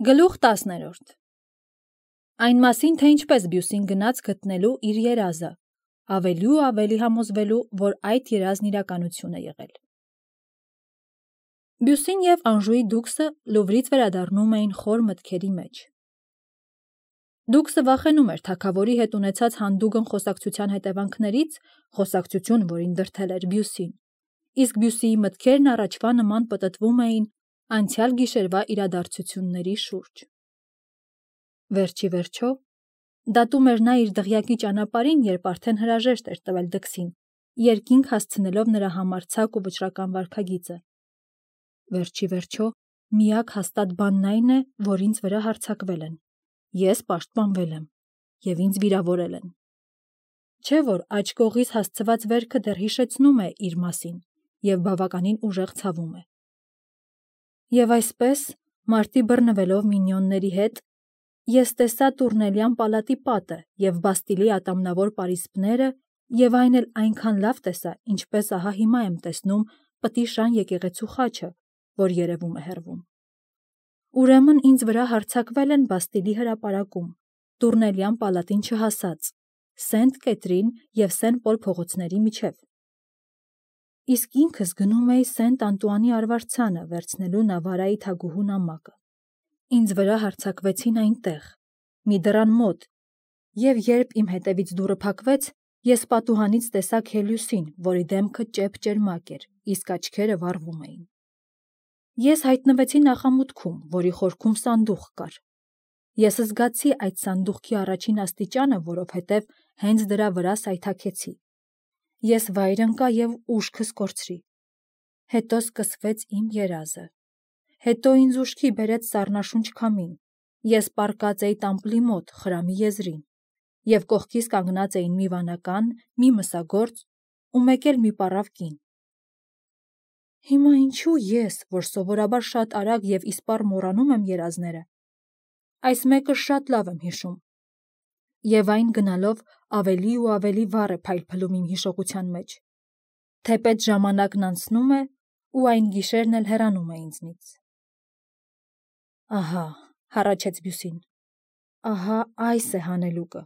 Գլուխ 10-րդ Այն մասին, թե ինչպես Բյուսին գնաց գտնելու իր երազը, ավելի ու ավելի համոզվելու, որ այդ երազն իրականություն է եղել։ Բյուսին և Անժուի դուքսը Լուվրից վերադառնում էին խոր մտքերի մեջ։ Դուքսը վախենում էր թագավորի հետ ունեցած հանդուգն խոսակցության հետևանքներից, խոսակցություն, որին դրդել էր Բյուսին, իսկ Բյուսիի մտքերն առաջվա նման պտտվում էին անցյալ գիշերվա իրադարձությունների շուրջ։ Վերջի վերջո, դատում էր նա իր դղյակի ճանապարհին, երբ արդեն հրաժեշտ էր տվել դքսին, երկինք հասցնելով նրա համարձակ ու վճռական վարքագիծը։ Վերջի վերջո, միակ հաստատ բանն այն է, որ ինձ վրա հարձակվել են, ես պաշտպանվել եմ, և ինձ վիրավորել են։ Չէ՞ որ աջ կողից հասցված վերքը դեռ հիշեցնում է իր մասին և բավականին ուժեղ ցավում է։ Եվ այսպես, մարտի բռնվելով մինիոնների հետ, ես տեսա Տուրնելյան պալատի պատը և Բաստիլի ատամնավոր պարիսպները, և այն էլ այնքան լավ տեսա, ինչպես ահա հիմա եմ տեսնում Պտիշան եկեղեցու խաչը, որ երևում է հեռվում։ Ուրեմն ինձ վրա հարձակվել են Բաստիլի հրապարակում, Տուրնելյան պալատին չհասած, Սենտ Կետրին և Սեն Պոլ փողոցների միջև։ Իսկ ինքս գնում էի Սենտ Անտուանի արվարձանը վերցնելու Նավարայի թագուհու նամակը։ Ինձ վրա հարձակվեցին այնտեղ, մի դռան մոտ, և երբ իմ հետևից դուռը փակվեց, ես պատուհանից տեսա Քելիուսին, որի դեմքը ճեպ-ճերմակ էր, իսկ աչքերը վառվում էին։ Ես հայտնվեցի նախամուտքում, որի խորքում սանդուղք կար։ Ես զգացի այդ սանդուղքի առաջին աստիճանը, որովհետև հենց դրա վրա սայթաքեցի։ Ես վայր ընկա և ուշքս կորցրի։ Հետո սկսվեց իմ երազը։ Հետո ինձ ուշքի բերեց սառնաշունչ քամին։ Ես պառկած էի տամպլի մոտ, խրամի եզրին, և կողքիս կանգնած էին մի վանական, մի մսագործ ու մեկ էլ մի պառավ կին։ Հիմա ինչու ես, որ սովորաբար շատ արագ և իսպառ մոռանում եմ երազները, այս մեկը շատ լավ եմ հիշում, և այն գնալով ավելի ու ավելի վառ է փայլփլում իմ հիշողության մեջ, թեպետ ժամանակն անցնում է, ու այն գիշերն էլ հեռանում է ինձնից։ Ահա, հառաչեց Բյուսին, ահա այս է հանելուկը։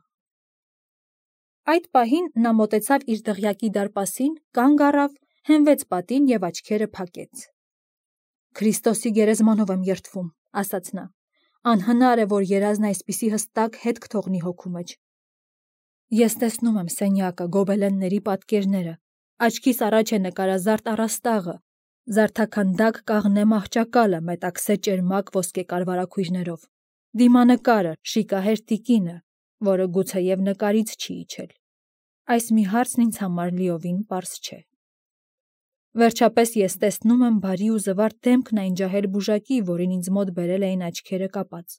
Այդ պահին նա մոտեցավ իր դղյակի դարպասին, կանգ առավ, հենվեց պատին և աչքերը փակեց։ Քրիստոսի գերեզմանով եմ երդվում, ասաց նա, անհնար է, որ երազն այսպիսի հստակ հետք թողնի հոգու մեջ։ Ես տեսնում եմ սենյակը, գոբելենների պատկերները, աչքիս առաջ է նկարազարդ առաստաղը, զարդաքանդակ կաղնե մահճակալը մետաքսե ճերմակ ոսկե կարվարաքույրներով, դիմանկարը, շիկահեր տիկինը, որը գուցեև նկարից չի իջել։ Այս մի հարցն ինձ համար լիովին պարզ չէ։ Վերջապես ես տեսնում եմ բարի ու զվարթ դեմքն այն ջահել բուժակի, որին ինձ մոտ բերել էին աչքերը կապած։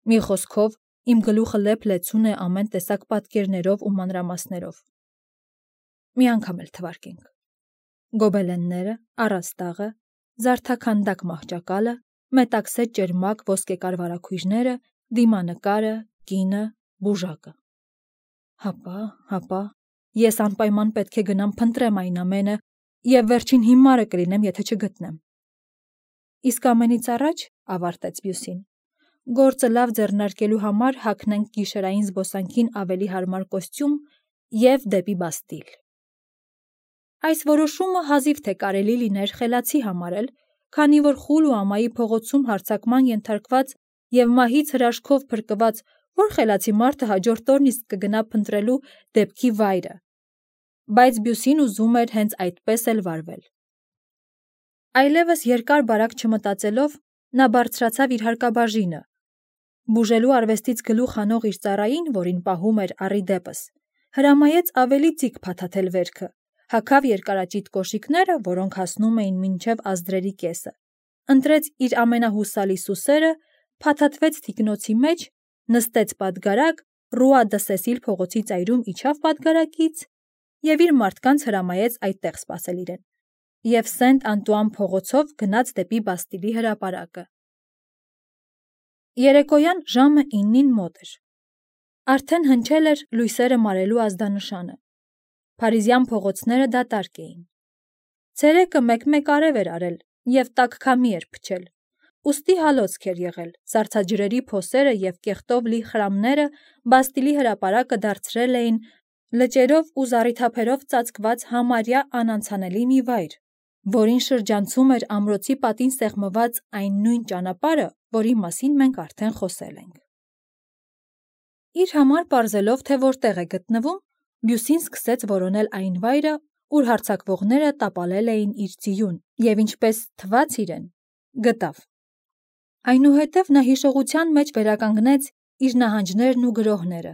Մի խոսքով, իմ գլուխը լեփ-լեցուն է ամեն տեսակ պատկերներով ու մանրամասներով։ Մի անգամ էլ թվարկենք. գոբելենները, առաստաղը, զարդաքանդակ մահճակալը, մետաքսե ճերմակ ոսկե կարվարաքույրները, դիմանկարը, կինը, բուժակը։ Հապա, ես անպայման պետք է գնամ փնտրեմ այն ամենը, և վերջին հիմարը կլինեմ, եթե չգտնեմ։ Իսկ ամենից առաջ, ավարտեց Բյուսին, գործը լավ ձեռնարկելու համար հագնենք գիշերային զբոսանքին ավելի հարմար կոստյում և դեպի Բաստիլ։ Այս որոշումը հազիվ թե կարելի լիներ խելացի համարել, քանի որ խուլ ու ամայի փողոցում հարձակման ենթարկված և մահից հրաշքով փրկված որ խելացի մարդը հաջորդ օրն իսկ կգնա փնտրելու դեպքի վայրը, բայց Բյուսին ուզում էր հենց այդպես էլ վարվել։ Այլևս երկար-բարակ չմտածելով, նա բարձրացավ իր հարկաբաժինը, բուժելու արվեստից գլուխ հանող իր ծառային, որին պահում էր առի դեպս, հրամայեց ավելի ծիկ փաթաթել վերքը, հագավ երկարաճիտ կոշիկները, որոնք հասնում էին մինչև ազդրերի կեսը, ընտրեց իր ամենահուսալի սուսերը, փաթաթվեց թիկնոցի մեջ, նստեց պատգարակ, Ռուա դը Սեսիլ փողոցի ծայրում իջավ պատգարակից և իր մարդկանց հրամայեց այդտեղ սպասել իրեն, և Սենտ Անտուան փողոցով գնաց դեպի Բաստիլի հրապարակը։ Երեկոյան ժամը 9-ին մոտ էր։ Արդեն հնչել էր լույսերը մարելու ազդանշանը։ Փարիզյան փողոցները դատարկ էին։ Ցերեկը մեկ-մեկ արև էր արել և տաք քամի էր փչել, ուստի հալոցք էր եղել, սառցաջրերի փոսերը և կեղտով լի խրամները Բաստիլի հրապարակը դարձրել էին լճերով ու զառիթափերով ծածկված համարյա անանցանելի մի վայր, որին շրջանցում էր ամրոցի պատին սեղմված այն նույն ճանապարհը, որի մասին մենք արդեն խոսել ենք։ Իր համար պարզելով, թե որտեղ է գտնվում, Բյուսին սկսեց որոնել այն վայրը, ուր հարձակվողները տապալել էին իր ձիուն, և ինչպես թվաց իրեն, գտավ։ Այնուհետև նա հիշողության մեջ վերականգնեց իր նահանջներն ու գրոհները,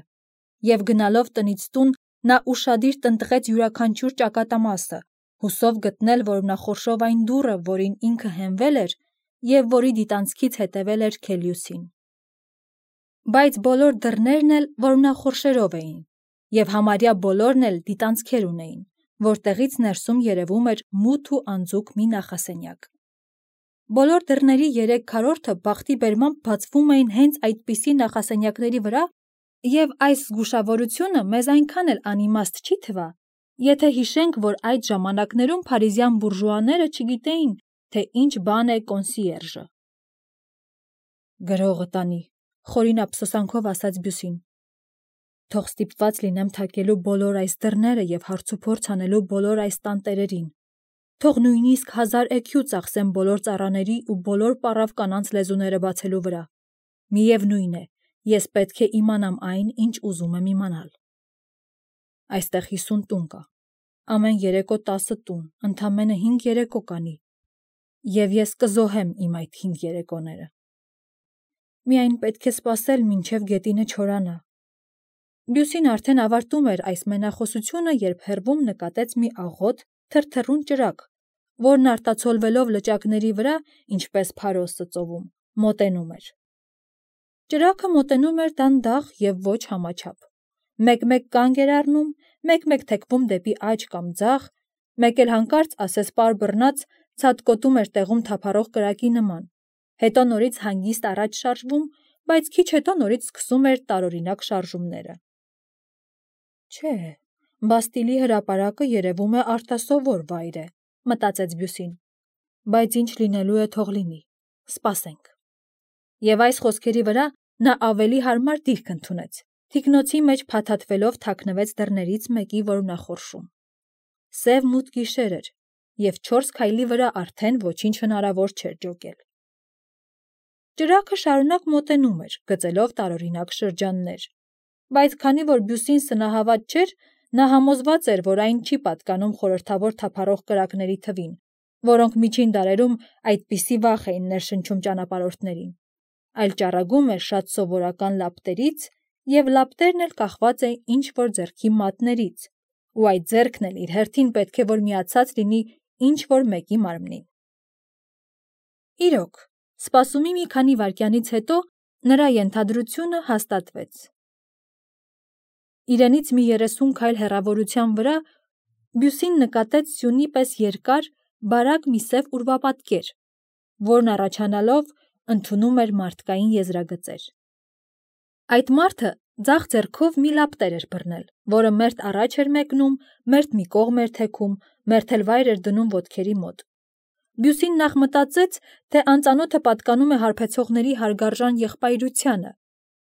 և գնալով տնից տուն, նա ուշադիր տնտղեց յուրաքանչյուր ճակատամասը, հուսով գտնել որմնախորշով այն դուռը, որին ինքը հենվել էր և որի դիտանցքից հետևել էր Քելիուսին։ Բայց բոլոր դռներն էլ որմնախորշերով էին, և համարյա բոլորն էլ դիտանցքեր ունեին, որտեղից ներսում երևում էր մութ ու անձուկ մի նախասենյակ։ Բոլոր դռների 3 քառորդը բախտի բերմամբ բացվում էին հենց այդպիսի նախասենյակների վրա, և այս զգուշավորությունը մեզ այնքան էլ անիմաստ չի թվա, եթե հիշենք, որ այդ ժամանակներում փարիզյան բուրժուաները չգիտեին, թե ինչ բան է կոնսիերժը։ Գրողը տանի, խորին ափսոսանքով ասաց Բյուսին։ Թող ստիպված լինեմ թակելու բոլոր այս դռները և հարցուփորձ անելու բոլոր այս տանտերերին։ Թող նույնիսկ 1000 էքյու ծախսեմ բոլոր ծառաների ու բոլոր պառավ կանանց լեզուները բացելու վրա։ Միևնույն է, ես պետք է իմանամ այն, ինչ ուզում եմ իմանալ։ Այստեղ 50 տուն կա, ամեն երեկո 10 տուն, ընդամենը 5 երեկո կանի, և ես կզոհեմ իմ այդ 5 երեկոները։ Միայն պետք է սպասել, մինչև գետինը չորանա։ Բյուսին արդեն ավարտում էր այս մենախոսությունը, երբ հեռվում նկատեց մի աղոտ, թրթռուն ճրագ, որն արտացոլվելով լճակների վրա, ինչպես փարոսը ծովում, մոտենում էր։ Ճրագը մոտենում էր դանդաղ և ոչ համաչափ։ Մեկ-մեկ կանգ էր առնում, մեկ-մեկ թեքվում դեպի աջ կամ ձախ, մեկ էլ հանկարծ ասեսպար բռնած ցատկոտում էր տեղում թափառող կրակի նման, հետո նորից հանգիստ առաջ շարժվում, բայց քիչ հետո նորից սկսում էր տարօրինակ շարժումները։ Չէ, Բաստիլի հրապարակը երևում է արտասովոր վայր է, մտածեց Բյուսին, բայց ինչ լինելու է թող լինի, սպասենք։ Եվ այս խոսքերի վրա նա ավելի հարմար դիրք ընդունեց, թիկնոցի մեջ փաթաթվելով թաքնվեց դռներից մեկի որմնախորշում։ Սև մութ գիշեր էր, և 4 քայլի վրա արդեն ոչինչ հնարավոր չէր ջոկել։ Ճրագը շարունակ մոտենում էր, գծելով տարօրինակ շրջաններ, բայց քանի որ Բյուսին սնահավատ չէր, նա համոզված էր, որ այն չի պատկանում խորհրդավոր թափառող կրակների թվին, որոնք միջին դարերում այդպիսի վախ էին ներշնչում ճանապարհորդներին, այլ ճառագում էր շատ սովորական լապտերից, և լապտերն էլ կախված է ինչ-որ ձեռքի մատներից, ու այդ ձեռքն էլ իր հերթին պետք է որ միացած լինի ինչ-որ մեկի մարմնին։ Իրոք, սպասումի մի քանի վայրկյանից հետո նրա ենթադրությունը հաստատվեց։ Իրենից մի 30 քայլ հեռավորության վրա Բյուսին նկատեց սյունի պես երկար, բարակ մի սև ուրվապատկեր, որն առաջանալով ընդունում էր մարդկային եզրագծեր։ Այդ մարդը ձախ ձեռքով մի լապտեր էր բռնել, որը մերթ առաջ էր մեկնում, մերթ մի կողմ էր թեքում, մերթ էլ վայր էր դնում ոտքերի մոտ։ Բյուսին նախ մտածեց, թե անծանոթը պատկանում է հարբեցողների հարգարժան եղբայրությանը,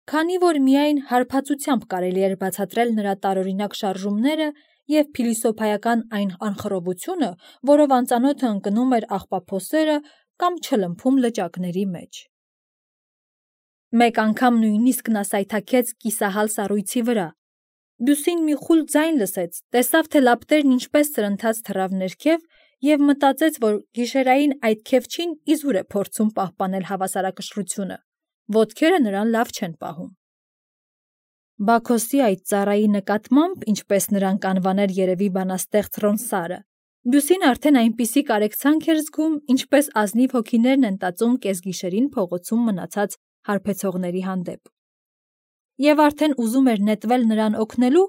քանի որ միայն հարբածությամբ կարելի էր բացատրել նրա տարօրինակ շարժումները և փիլիսոփայական այն անխռովությունը, որով անծանոթը ընկնում էր աղբափոսերը կամ չլմփում լճակների մեջ։ Մեկ անգամ նույնիսկ նա սայթաքեց կիսահալ սառույցի վրա։ Բյուսին մի խուլ ձայն լսեց, տեսավ, թե լապտերն ինչպես սրընթաց թռավ ներքև և մտածեց, որ գիշերային այդ քևչին իզուր է փորձում պահպանել հավասարակշռությունը, ոտքերը նրան լավ չեն պահում։ Բաքոսի այդ ծառայի նկատմամբ, ինչպես նրան կանվաներ երևի բանաստեղծ Ռոնսարը, Բյուսին արդեն այնպիսի կարեկցանք էր զգում, ինչպես ազնիվ հոգիներն են տածում կեսգիշերին փողոցում մնացած հարբեցողների հանդեպ։ Եվ արդեն ուզում էր նետվել նրան օգնելու,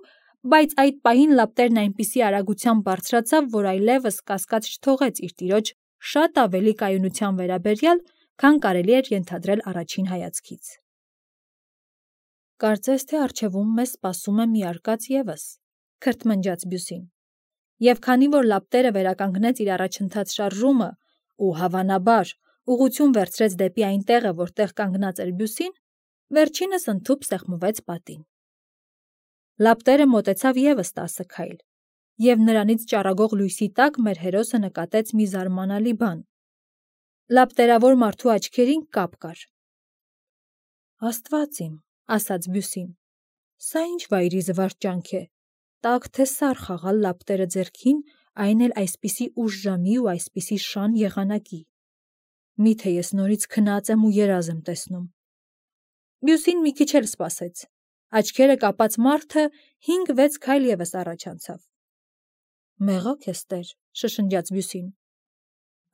բայց այդ պահին լապտերն այնպիսի արագությամբ բարձրացավ, որ այլևս կասկած չթողեց իր տիրոջ շատ ավելի կայունության վերաբերյալ, քան կարելի էր ենթադրել առաջին հայացքից։ Կարծես թե առջևում մեզ սպասում է մի արկած ևս, քրթմնջաց Բյուսին, և քանի որ լապտերը վերականգնեց իր առաջընթաց շարժումը ու հավանաբար ուղղություն վերցրեց դեպի այն տեղը, որտեղ կանգնած էր Բյուսին, վերջինս ընդհուպ սեղմվեց պատին։ Լապտերը մոտեցավ ևս 10 քայլ, և նրանից ճառագող լույսի տակ մեր հերոսը նկատեց մի զարմանալի բան. լապտերավոր մարդու աչքերին կապ կար։ «Աստված իմ», ասաց Բյուսին, «սա ինչ վայրի զվարճանք է, տաք թե սար խաղալ լապտերը ձեռքին, այն էլ այսպիսի ուշ ժամի ու այսպիսի շան եղանակի։ Միթե ես նորից քնած եմ ու երազ եմ տեսնում»։ Բյուսին մի քիչ էլ սպասեց։ Աչքերը կապած մարդը 5-6 քայլ ևս առաջ անցավ։ «Մեղա քեզ Տեր», շշնջաց Բյուսին։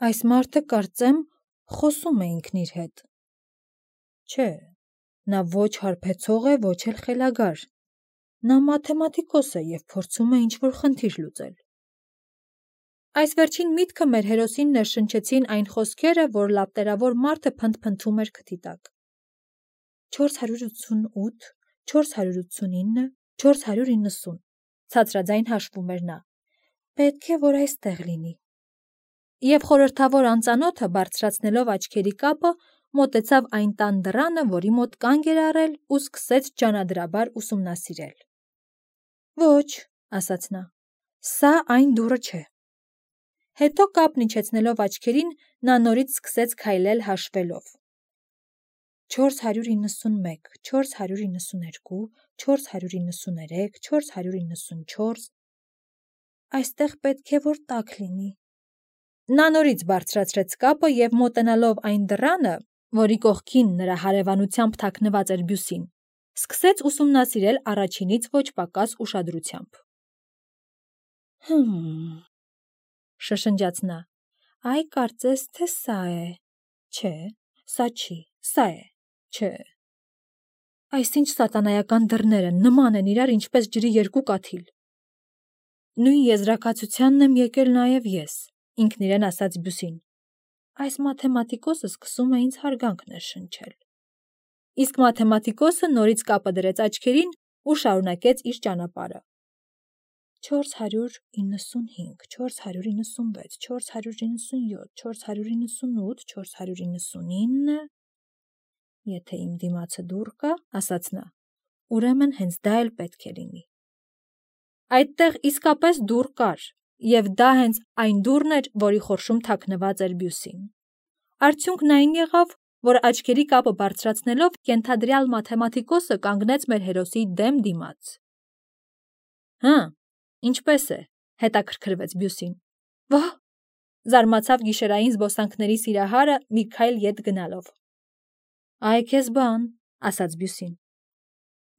«Այս մարդը, կարծեմ, խոսում է ինքն իր հետ»։ Չէ, նա ոչ հարբեցող է, ոչ էլ խելագար։ Նա մաթեմատիկոս է և փորձում է ինչ-որ խնդիր լուծել։ Այս վերջին միտքը մեր հերոսին ներշնչեցին այն խոսքերը, որ լապտերավոր մարդը փնթփնթում էր քթի տակ։ 488, 489, 490, ցածրաձայն հաշվում էր նա։ Պետք է, որ այստեղ լինի։ Եվ խորհրդավոր անծանոթը, բարձրացնելով աչքերի կապը, մոտեցավ այն տան դռանը, որի մոտ կանգ էր առել ու սկսեց ջանադրաբար ուսումնասիրել։ Ոչ, ասաց նա, սա այն դուռը չէ։ Հետո կապն իջեցնելով աչքերին, նա նորից սկսեց քայլել հաշվելով. 491, 492, 493, 494, այստեղ պետք է, որ տաք լինի։ Նա նորից բարձրացրեց կապը և մոտենալով այն դռանը, որի կողքին նրա հարևանությամբ թաքնված էր Բյուսին, սկսեց ուսումնասիրել առաջինից ոչ պակաս ուշադրությամբ։ Շշնջաց նա, այ կարծես թե սա է։ Չէ, սա չի, սա է։ Չէ։ Այսինչ սատանայական դռներ են, նման են իրար, ինչպես ջրի երկու կաթիլ։ Նույն եզրակացությանն եմ եկել նաև ես, ինքն իրեն ասաց Բյուսին։ Այս մաթեմատիկոսը սկսում է ինձ հարգանք ներշնչել։ Իսկ մաթեմատիկոսը նորից կապը դրեց աչքերին ու շարունակեց իր ճանապարհը։ 495, 496, 497, 498, 499, եթե իմ դիմացը դուռ կա, ասաց նա, ուրեմն հենց դա էլ պետք է լինի։ Այդտեղ իսկապես դուռ կար, և դա հենց այն դուռն էր, որի խորշում թաքնված էր Բյուսին։ Արդյունքն այն եղավ, որ աչքերի կապը բարձրացնելով կենթադրյալ մաթեմատիկոսը կանգնեց մեր հերոսի դեմ դիմաց։ Ինչպես է, հետաքրքրվեց Բյուսին։ Վա՜, զարմացավ գիշերային զբոսանքների սիրահարը մի քայլ ետ գնալով։ Այ քեզ բան, ասաց Բյուսին։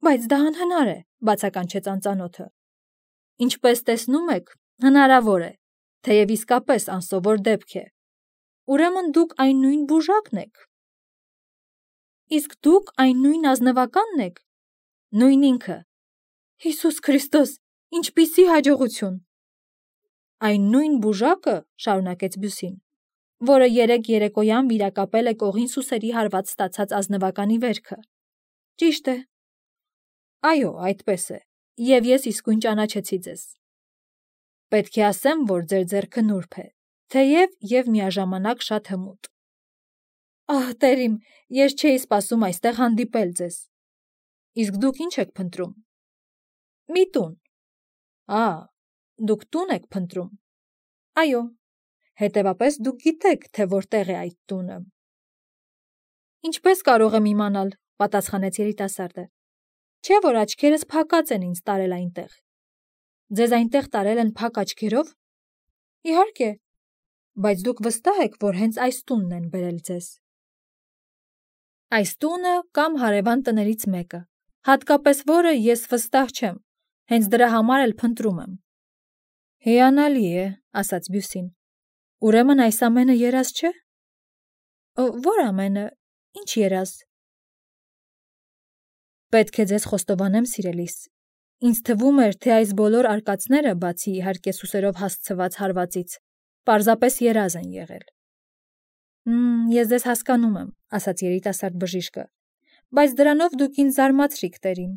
Բայց դա անհնար է, բացականչեց անծանոթը։ Ինչպես տեսնում եք, հնարավոր է, թեև իսկապես անսովոր դեպք է։ Ուրեմն դուք այն նույն բուժակն եք։ Իսկ դուք այն նույն ազնվականն եք։ Նույն ինքը։ Հիսուս Քրիստոս, ինչպիսի հաջողություն։ Այն նույն բուժակը, շարունակեց Բյուսին, որը երեկ երեկոյան վիրակապել է կողին սուսերի հարված ստացած ազնվականի վերքը։ Ճիշտ է։ Այո, այդպես է, և ես իսկույն ճանաչեցի ձեզ։ Պետք է ասեմ, որ ձեր ձեռքը նուրբ է, թեև և միաժամանակ շատ հմուտ։ Ահ, Տեր իմ, ես չէի սպասում այստեղ հանդիպել ձեզ։ Իսկ դուք ինչ եք փնտրում։ Մի տուն։ Դուք տուն եք փնտրում։ Այո, հետևապես դուք գիտեք, թե որտեղ է այդ տունը։ Ինչպես կարող եմ իմանալ, պատասխանեց երիտասարդը։ Չէ՞ որ աչքերս փակած են ինձ տարել այնտեղ։ Ձեզ այնտեղ տարել են փակ աչքերով։ Իհարկե, բայց դուք վստահ եք, որ հենց այս տունն են բերել ձեզ։ Այս տունը կամ հարևան տներից մեկը, հատկապես որը ես վստահ չեմ, հենց դրա համար էլ փնտրում եմ։ Հիանալի է, ասաց Բյուսին։ Ուրեմն այս ամենը երազ չէ։ Որ ամենը, ինչ երազ։ Պետք է ձեզ խոստովանեմ, սիրելիս։ Ինձ թվում էր, թե այս բոլոր արկածները, բացի իհարկե սուսերով հասցված հարվածից, պարզապես երազ են եղել։ Ես ձեզ հասկանում եմ, ասաց երիտասարդ բժիշկը, բայց դրանով դուք ինձ զարմացրիք, Տեր իմ։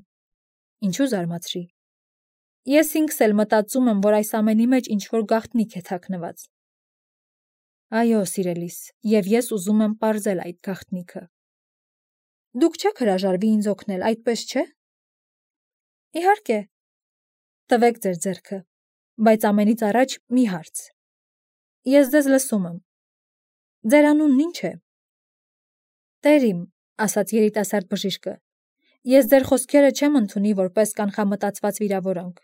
Ինչու զարմացրի։ Ես ինքս էլ մտածում եմ, որ այս ամենի մեջ ինչ-որ գաղտնիք է թաքնված։ Այո, սիրելիս, և ես ուզում եմ պարզել այդ գաղտնիքը։ Դուք չեք հրաժարվի ինձ օգնել, այդպես չէ։ Իհարկե։ Տվեք ձեր ձեռքը, բայց ամենից առաջ մի հարց։ Ես ձեզ լսում եմ։ Ձեր անունն ինչ է։ Տեր իմ, ասաց երիտասարդ բժիշկը, ես ձեր խոսքերը չեմ ընդունի որպես կանխամտածված վիրավորանք։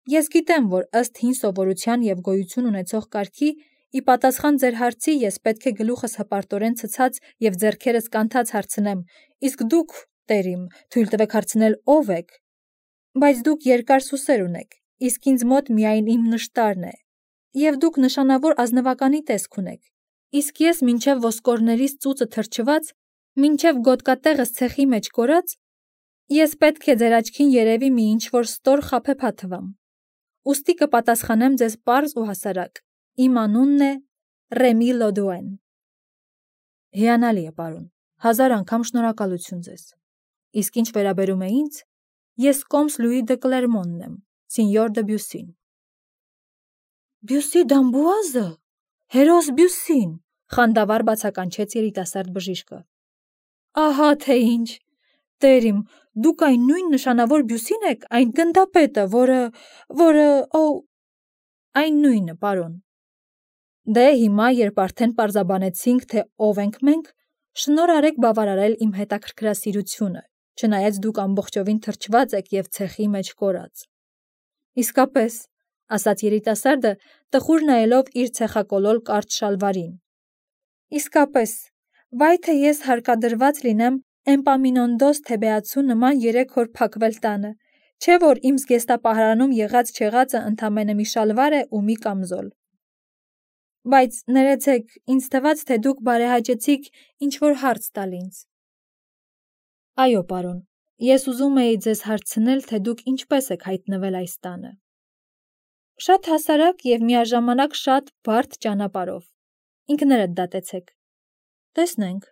Ես գիտեմ, որ ըստ հին սովորության և գոյություն ունեցող կարգի, ի պատասխան ձեր հարցի ես պետք է գլուխս հպարտորեն ցցած և ձեռքերս կանթած հարցնեմ, իսկ դուք, Տեր իմ, թույլ տվեք հարցնել ով եք։ Բայց դուք երկար սուսեր ունեք, իսկ ինձ մոտ միայն իմ նշտարն է, և դուք նշանավոր ազնվականի տեսք ունեք, իսկ ես մինչև ոսկորներիս ծուծը թրջված, մինչև գոտկատեղս ցեխի մեջ կորած, ես պետք է ձեր աչքին երևի մի ինչ-որ ստոր խաբեբա թվամ։ Ուստի կպատասխանեմ ձեզ պարզ ու հասարակ. իմ անունն է Ռեմի Լոդուեն։ Հիանալի է, պարոն, 1000 անգամ շնորհակալություն ձեզ։ Իսկ ինչ վերաբերում է ինձ, ես կոմս Լուի դը Կլերմոնն եմ, սինյոր դը Բյուսին։ Բյուսի Դամբուազը, հերոս Բյուսին, խանդավառ բացականչեց երիտասարդ բժիշկը։ Ահա թե ինչ, Տեր իմ, դուք այն նույն նշանավոր Բյուսին եք, այն գնդապետը, որը, այն նույնը, պարոն։ Դե հիմա, երբ արդեն պարզաբանեցինք, թե ով ենք մենք, շնորհ արեք բավարարել իմ հետաքրքրասիրությունը, չնայած դուք ամբողջովին թրջված եք և ցեխի մեջ կորած։ Իսկապես, ասաց երիտասարդը, տխուր նայելով իր ցեխակոլոր կարճ շալվարին։ Իսկապես, վայ թե ես հարկադրված լինեմ Էմպամինոնդոս թեբեացու նման 3 օր փակվել տանը, չէ որ իմ զգեստապահարանում եղած-չեղածը ընդամենը մի շալվար է ու մի կամզոլ։ Բայց ներեցեք, ինձ թվաց, թե դուք բարեհաճեցիք ինչ-որ հարց տալ ինձ։ Այո, պարոն, ես ուզում էի ձեզ հարցնել, թե դուք ինչպես եք հայտնվել այս տանը։ Շատ հասարակ և միաժամանակ շատ բարդ ճանապարհով։ Ինքներդ դատեցեք։ Տեսնենք։